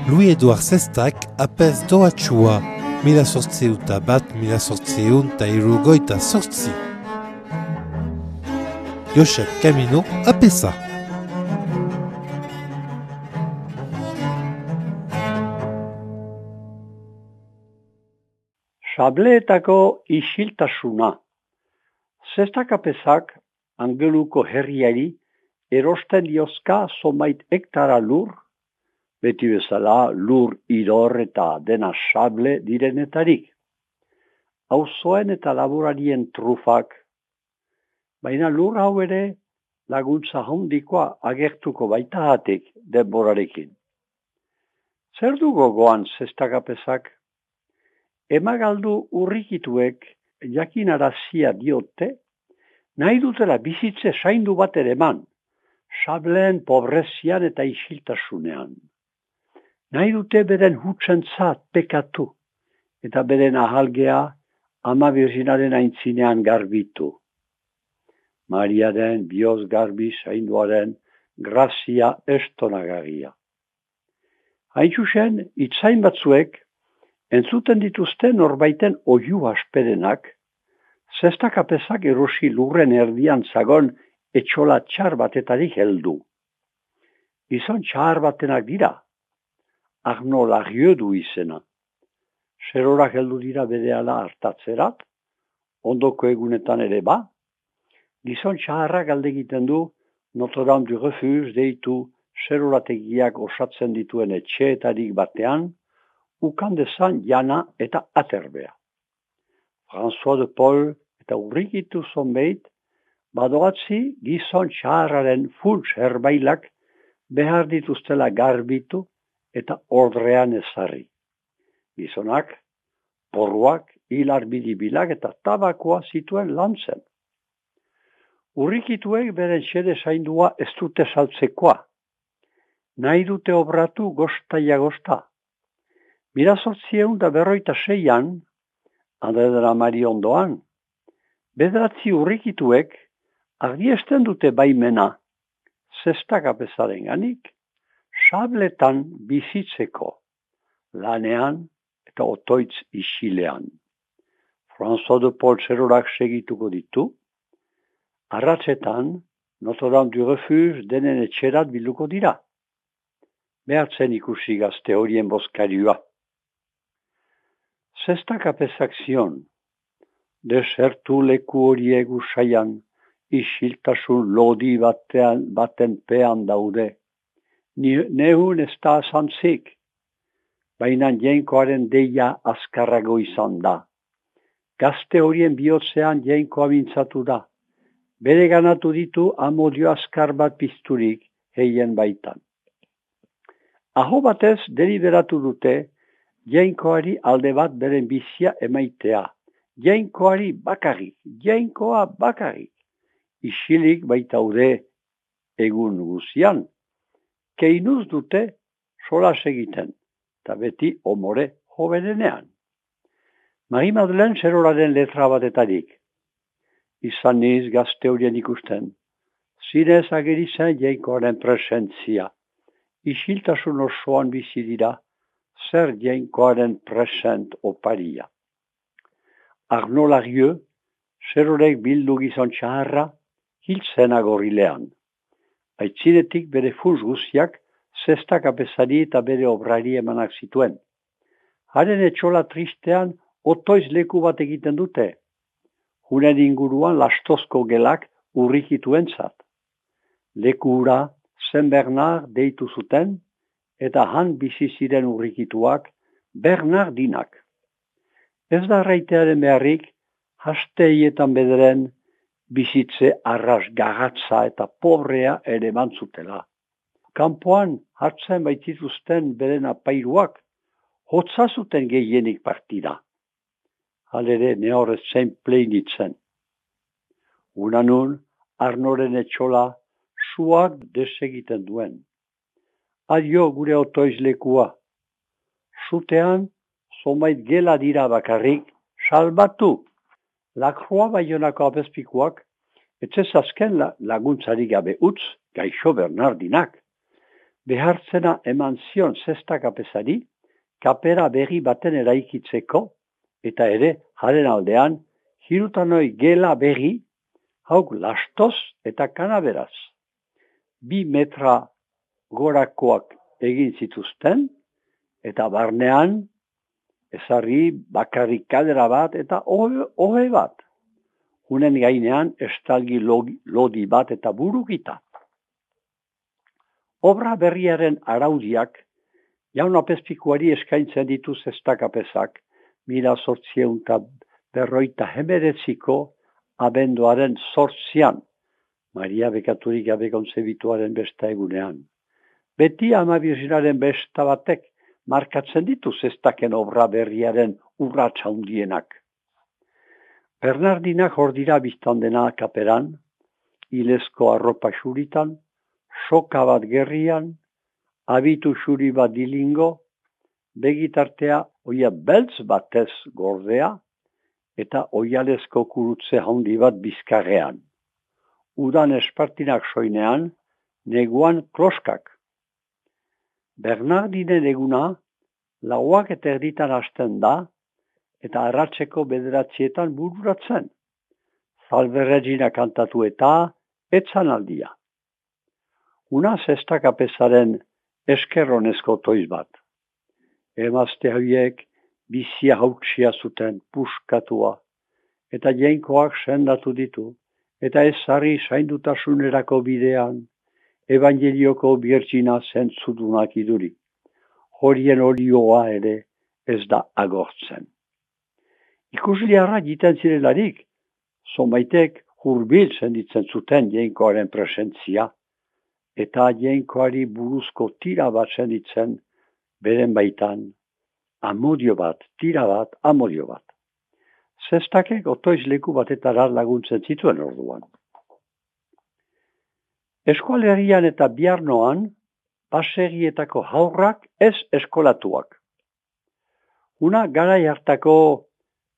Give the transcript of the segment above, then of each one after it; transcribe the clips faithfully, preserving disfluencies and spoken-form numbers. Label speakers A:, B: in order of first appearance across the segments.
A: Louis Edouard Sestak apez doatxua, mila sortzeuta bat, mila sortzeun ta irugoita sortzi. Josep Camino apesa.
B: Sableetako isiltasuna. Sestak apezak Angeluko herriari erosten diozka zomait hektara lur, beti bezala lur idor eta dena sable direnetarik. Auzoen eta laborarien trufak, baina lur hau ere laguntza handikoa agertuko baitahatik denborarekin. Zer du gogoan Sestak apezak? Emagaldu urrikituek jakinarazia diote, nahi dutela bizitze zaindu bat ere eman, sableen pobrezian eta isiltasunean. Nahi dute beren hutsentzat pekatu, eta beren ahalgea ama birzinaren aintzinean garbitu. Mariaren bioz garbi zainduaren grazia estonagarria. Hain zuzen, itzain batzuek, entzuten dituzte norbaiten oihu asperenak, Sestak apezak erosi lurren erdian zagon etxola txar batetarik heldu. Gizon txar batenak dira, Arno Larieux du izena. Zerorak heldu dira berehala hartatzerat, ondoko egunetan ere ba, gizon txarrak alde egiten du Notre-Dame du Refuge deitu zerorategiak osatzen dituen etxeetarik batean, ukandezan jana eta aterbea. François de Paul eta urrikitu zonbeit, badoatzi gizon txarraren funts herbailak behar dituztela garbitu eta ordrean ezarri. Gizonak, porruak, hilar bidibilak eta tabakoa zituen lantzen. Urrikituek beren xede zaindua ez dute saltzekoa. Nahi dute obratu gostaia gosta. Mila sortzieun da berroita seian, Andre de la Mari ondoan, bederatzi urrikituek ardiesten dute baimena, Sestak apezaren ganik, sabletan bizitzeko, lanean eta otoitz isilean. François de Paul zerorak segituko ditu, arratsetan Notre-Dame du Refuge denen etxerat biluko dira. Behartzen ikusi gazte horien bozkarioa. Sestak apezak zion, desertu leku horiek usaian, isiltasun lodi batean, baten pean daude. Nehun ez da azantzik, baina jainkoaren deia azkarrago izan da. Gazte horien bihotzean jainkoa mintzatu da. Bere ganatu ditu amodio azkar bat pizturik heien baitan. Aho batez deliberatu dute, jainkoari alde bat beren bizia emaitea. Jainkoari bakarrik, jainkoa bakarrik. Isilik baitaude egun guzian. Keinuz dute solas egiten, eta beti omore jovenenean. Marie Madeleine zeroraren letra batetarik. Izan niz gazte horien ikusten. Zinez ageri zen jainkoaren presentzia. Isiltasun osoan bizi dira, zer jainkoaren present oparia. Arno Larieux, zerorek bildu gizon txaharra, hiltzen agorrilean. Aitzinetik bere fuz guziak, Sestak apezari eta bere obrari emanak zituen. Haren etxola tristean, otoiz leku bat egiten dute. Hunen inguruan lastozko gelak urrikituentzat. Leku hura Saint Bernard deitu zuten, eta han bizi ziren urrikituak Bernardinak. Ez da raitearen beharrik, hasteietan bederen bizitze arras garatza eta pobrea ere mantzutela. Kanpoan hartzen baitituzten beren apairuak, hotza zuten gehienik partida. Halere nehorrez zein pleinitzen. Unanun, Arnoren etxola suak desegiten duen. Adio gure otoizlekua. Zutean, zomait gela dira bakarrik, salbatu. Lakroa Baionako apezpikuak, etxez azken laguntzari gabe utz, gaixo Bernardinak. behartzena eman zion zesta kapezari, kapera berri baten eraikitzeko, eta ere, haren aldean, hirutanoi gela berri, hauk lastoz eta kanaberaz. Bi metra gorakoak egin zituzten, eta barnean, ezarri bakarrik kadera bat eta ohe bat. Hunen gainean estalgi lodi bat eta burukita. Obra berriaren araudiak, jaun apezpikuari eskaintzen ditu zestakapezak, mila zortzieun eta berroita hemeretziko abenduaren zortzian, Maria bekaturik gabe kontzebituaren besta egunean. Beti Ama Birjinaren besta batek markatzen ditu zestaken obra berriaren urratsa handienak. Bernardinak hor dira biztan dena kaperan, ilezko arropa xuritan, soka bat gerrian, abitu xuri bat dilingo, begitartea oia beltz batez gordea, eta oialezko kurutze handi bat bizkarrean. Udan espartinak soinean, neguan kloskak. Bernardinen eguna, lauak eta erditan hasten da, eta arratseko bederatzietan bururatzen. Zalberregina kantatu eta etzan aldia. Una zestakapezaren eskerronezko toiz bat. Emazte horiek bizia hautsia zuten puskatua, eta jainkoak sendatu ditu, eta ezarri zaindutasunerako bidean, evangelioko birtsina zentzudunak iduri. Horien olioa ere ez da agortzen. Ikusliarra jiten zirelarik, zonbaitek hurbil senditzen zuten jainkoaren presentzia, eta jainkoari buruzko tira bat senditzen, beren baitan, amodio bat, tira bat, amodio bat. Zestakek otoiz leku batetara laguntzen zituen orduan. Eskualerian eta biarnoan, baserrietako haurrak ez eskolatuak. Una garai hartako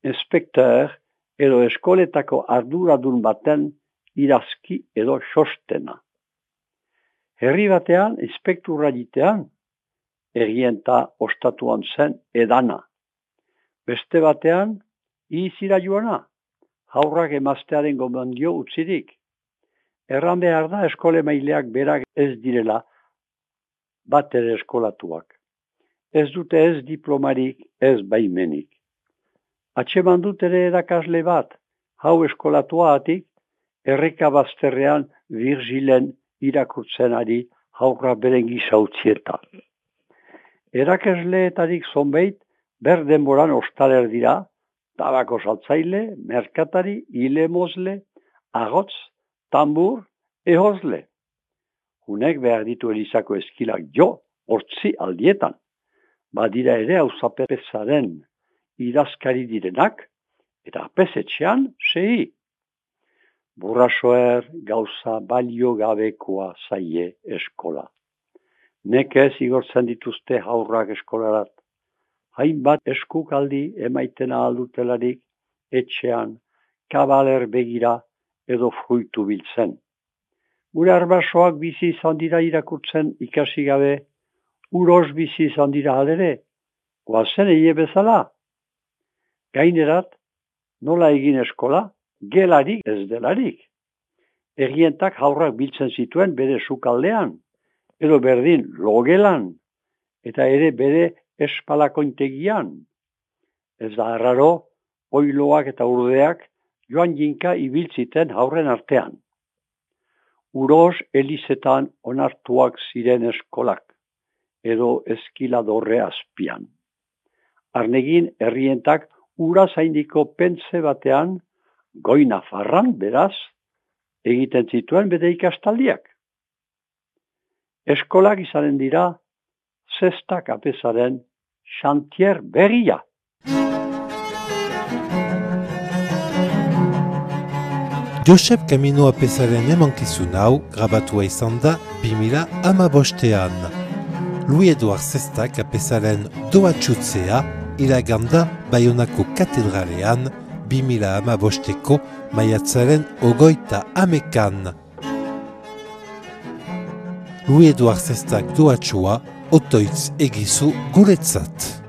B: inspektor edo eskoletako arduradun baten irazki edo xostena. Herri batean, inspekturra jitean, errienta ostatuan zen edana. Beste batean, izira joana, haurrak emaztearen gomendio utzirik. Erran behar da eskole maileak berak ez direla bat ere eskolatuak. Ez dute ez diplomarik, ez baimenik. Atxeman dut ere erakasle bat, hau eskolatua atik, erreka bazterrean Virgilen irakurtzen ari haurra beren gizautzieta. Erakasleetarik zonbeit, ber denboran ostaler dira, tabako saltzaile, merkatari, ilemozle, agotz, tambur, ehozle. Hunek behar ditu Elizako eskilak jo, hortzi aldietan. Badira ere auzapezaren idazkari direnak, eta apesetxean sei. Burrasoer gauza balio gabekoa zaie eskola. Nekez igortzen dituzte haurrak eskolarat. Hainbat eskukaldi emaitena aldutelarik, etxean, kabaler begira edo fruitu biltzen. Gure arbasoak bizi izan dira irakurtzen ikasi gabe, uros bizi izan dira halere, goazen eie bezala. Gainerat, nola egin eskola, gelarik ez delarik. Errientak haurrak biltzen zituen bere sukaldean, edo berdin logelan, eta ere bere espalakointegian. Ez da arraro, oiloak eta urdeak joan jinka ibiltziten haurren artean. Uros elizetan onartuak ziren eskolak, edo eskiladorre azpian. Arnegin herrientak ura zaindiko pentze batean, goi Nafarran beraz, egiten zituen bere ikastaldiak. Eskolak izanen dira, zestak apezaren xantier berria.
A: Josep Camino apezaren emankizun hau grabatua izan da bi mila hamabostean. Louis Edouard Zestak apezaren doatxutzea iraganda Baionako katedralean bi mila hamabosteko maiatzaren ogoita hamekan. Louis Eduard Zestak doatxua, otoitz egizu guretzat.